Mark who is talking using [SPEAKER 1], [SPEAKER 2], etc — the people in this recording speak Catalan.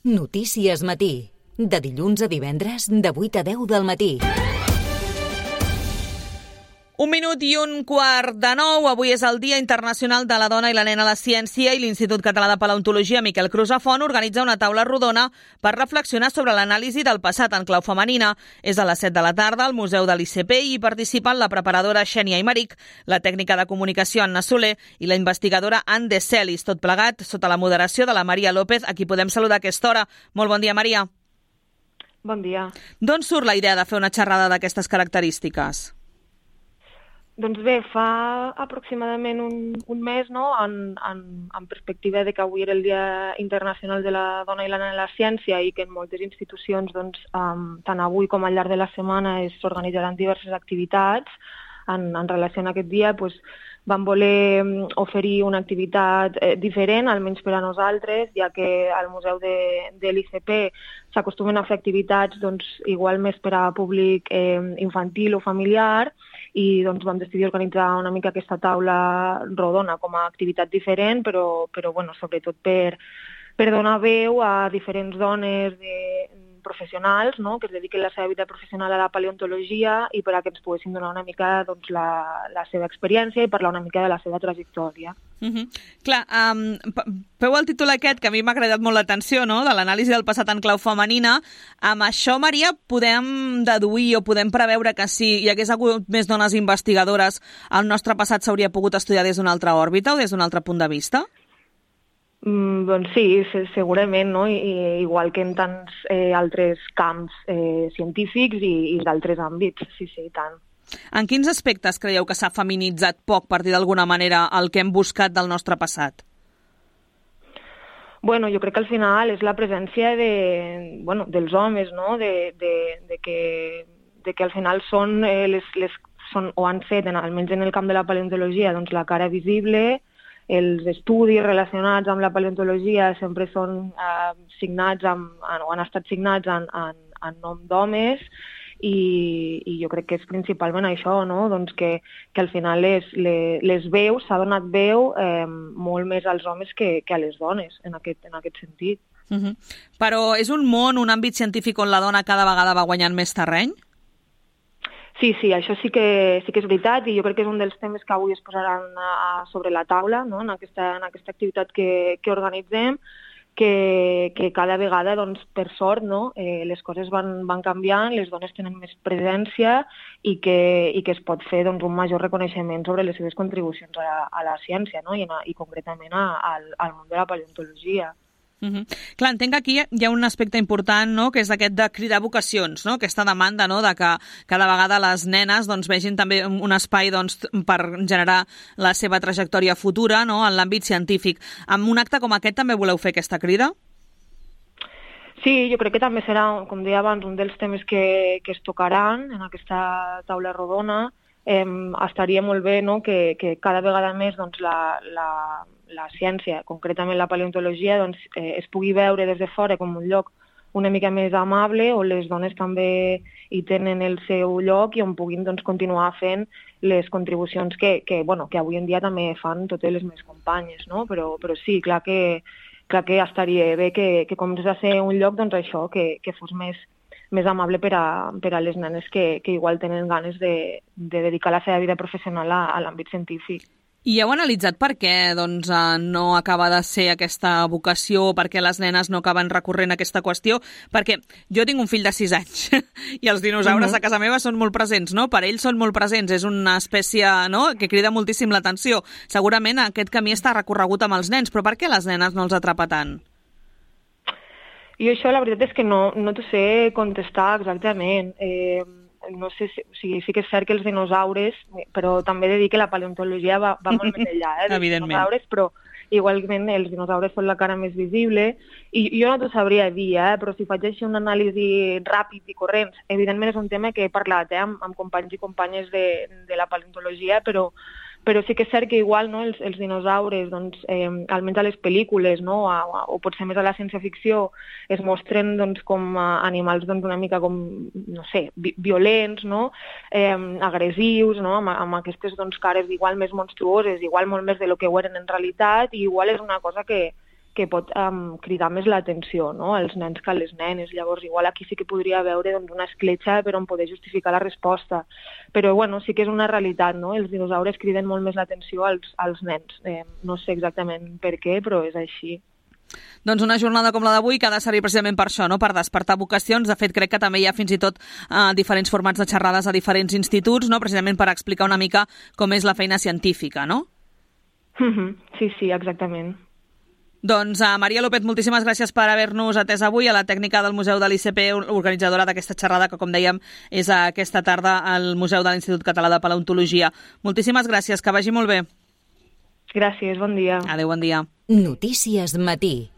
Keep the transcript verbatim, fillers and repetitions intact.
[SPEAKER 1] Notícies Matí. De dilluns a divendres, de vuit a deu del matí.
[SPEAKER 2] Un minut i un quart de nou. Avui és el Dia Internacional de la Dona i la Nena a la Ciència i l'Institut Català de Paleontologia Miquel Crusafont organitza una taula rodona per reflexionar sobre l'anàlisi del passat en clau femenina. És a les set de la tarda al Museu de l'I C P i hi participen la preparadora Xènia Aymeric, la tècnica de comunicació Anna Soler i la investigadora Anne de Celis, tot plegat sota la moderació de la Maria López, a qui podem saludar a aquesta hora. Molt bon dia, Maria.
[SPEAKER 3] Bon dia.
[SPEAKER 2] D'on surt la idea de fer una xerrada d'aquestes característiques?
[SPEAKER 3] Doncs bé, fa aproximadament un, un mes, no?, en, en, en perspectiva de que avui era el Dia Internacional de la Dona i la Nena a la Ciència i que en moltes institucions, doncs, um, tant avui com al llarg de la setmana, s'organitzaran diverses activitats en, en relació a aquest dia, doncs, vam voler oferir una activitat eh, diferent, almenys per a nosaltres, ja que al Museu de, de l'I C P s'acostumen a fer activitats doncs, igual més per a públic eh, infantil o familiar, i doncs, vam decidir organitzar una mica aquesta taula rodona com a activitat diferent, però, però bueno, sobretot per, per donar veu a diferents dones de, professionals, no?, que es dediquen la seva vida professional a la paleontologia i per a que ens poguessin donar una mica doncs, la, la seva experiència i parlar una mica de la seva trajectòria.
[SPEAKER 2] Uh-huh. Clar, um, feu el títol aquest, que a mi m'ha agradat molt l'atenció, no?, de l'anàlisi del passat en clau femenina. Amb això, Maria, podem deduir o podem preveure que si hi hagués hagut més dones investigadores, el nostre passat s'hauria pogut estudiar des d'una altra òrbita o des d'un altre punt de vista?
[SPEAKER 3] Mm, doncs sí, segurament, no? I, igual que en tants eh, altres camps eh, científics i, i d'altres àmbits, sí, sí, i tant.
[SPEAKER 2] En quins aspectes creieu que s'ha feminitzat poc, per dir d'alguna manera, el que hem buscat del nostre passat?
[SPEAKER 3] Bueno, jo crec que al final és la presència de, bueno, dels homes, no?, de, de, de, que, de que al final són, eh, les, les, són o han fet, en, almenys en el camp de la paleontologia, doncs la cara visible. Els estudis relacionats amb la paleontologia sempre són eh, signats amb, o han estat signats en, en, en nom d'homes i, i jo crec que és principalment això, no?, doncs que, que al final les, les, les veus, s'ha donat veu eh, molt més als homes que, que a les dones en aquest, en aquest sentit.
[SPEAKER 2] Uh-huh. Però és un món, un àmbit científic on la dona cada vegada va guanyant més terreny?
[SPEAKER 3] Sí, sí, això sí que, sí que és veritat i jo crec que és un dels temes que avui es posaran a, sobre la taula, no?, en, aquesta, en aquesta activitat que, que organitzem, que, que cada vegada, doncs, per sort, no?, eh, les coses van, van canviant, les dones tenen més presència i que, i que es pot fer, doncs, un major reconeixement sobre les seves contribucions a, a la ciència, no?, i, a, i concretament a, al, al món de la paleontologia.
[SPEAKER 2] Uh-huh. Clar, entenc que aquí hi ha un aspecte important, no?, que és aquest de cridar vocacions, no?, aquesta demanda, no?, de que cada vegada les nenes doncs, vegin també un espai doncs, per generar la seva trajectòria futura, no?, en l'àmbit científic. Amb un acte com aquest també voleu fer aquesta crida?
[SPEAKER 3] Sí, jo crec que també serà, com deia abans, un dels temes que, que es tocaran en aquesta taula rodona. Eh, estaria molt bé, no?, que, que cada vegada més doncs, la, la, la ciència, concretament la paleontologia, doncs, eh, es pugui veure des de fora com un lloc una mica més amable, on les dones també hi tenen el seu lloc i on puguin doncs, continuar fent les contribucions que, que, bueno, que avui en dia també fan totes les meves companyes, no? Però, però sí, clar que, clar que estaria bé que, que comencés a ser un lloc, doncs això, que, que fos més més amable per a, per a les nenes que, que igual tenen ganes de, de dedicar la seva vida professional a, a l'àmbit científic.
[SPEAKER 2] I heu analitzat per què doncs, no acaba de ser aquesta vocació, per què les nenes no acaben recorrent a aquesta qüestió? Perquè jo tinc un fill de sis anys i els dinosaures uh-huh. a casa meva són molt presents, no? Per ells són molt presents, és una espècie, no?, que crida moltíssim l'atenció. Segurament aquest camí està recorregut amb els nens, però per què les nenes no els atrapa tant?
[SPEAKER 3] I això la veritat és que no, no t'ho sé contestar exactament. Eh, no sé si, o sigui, sí que és cert que els dinosaures, però també he de dir que la paleontologia va, va molt més enllà eh, dels dinosaures, però igualment els dinosaures són la cara més visible i jo no t'ho sabria dir, eh, però si faig així una anàlisi ràpid i corrents, evidentment és un tema que he parlat eh, amb, amb companys i companyes de, de la paleontologia, però però sí que és cert que igual, no, els, els dinosaures, doncs, eh, almenys a les pel·lícules, no, o, o potser més a la ciència-ficció, es mostren doncs, com a animals doncs, una mica com, no sé, vi violents, no, eh, agressius, no, amb, amb aquestes doncs, cares igual més monstruoses, igual molt més de lo que ho eren en realitat, i igual és una cosa que, que pot um, cridar més l'atenció, no?, als nens que a les nenes. Llavors, igual aquí sí que podria haver doncs, una escletxa per on poder justificar la resposta. Però, bueno, sí que és una realitat, no? Els dinosaures criden molt més l'atenció als, als nens. Eh, no sé exactament per què, però és així.
[SPEAKER 2] Doncs una jornada com la d'avui que ha de servir precisament per això, no?, per despertar vocacions. De fet, crec que també hi ha fins i tot eh, diferents formats de xerrades a diferents instituts, no?, precisament per explicar una mica com és la feina científica, no?
[SPEAKER 3] Sí, sí, exactament.
[SPEAKER 2] Doncs uh, Maria López, moltíssimes gràcies per haver-nos atès avui, a la tècnica del Museu de l'I C P, organitzadora d'aquesta xerrada que, com dèiem, és aquesta tarda al Museu de l'Institut Català de Paleontologia. Moltíssimes gràcies, que vagi molt bé.
[SPEAKER 3] Gràcies, bon dia.
[SPEAKER 2] Adéu, bon dia.
[SPEAKER 1] Notícies Matí.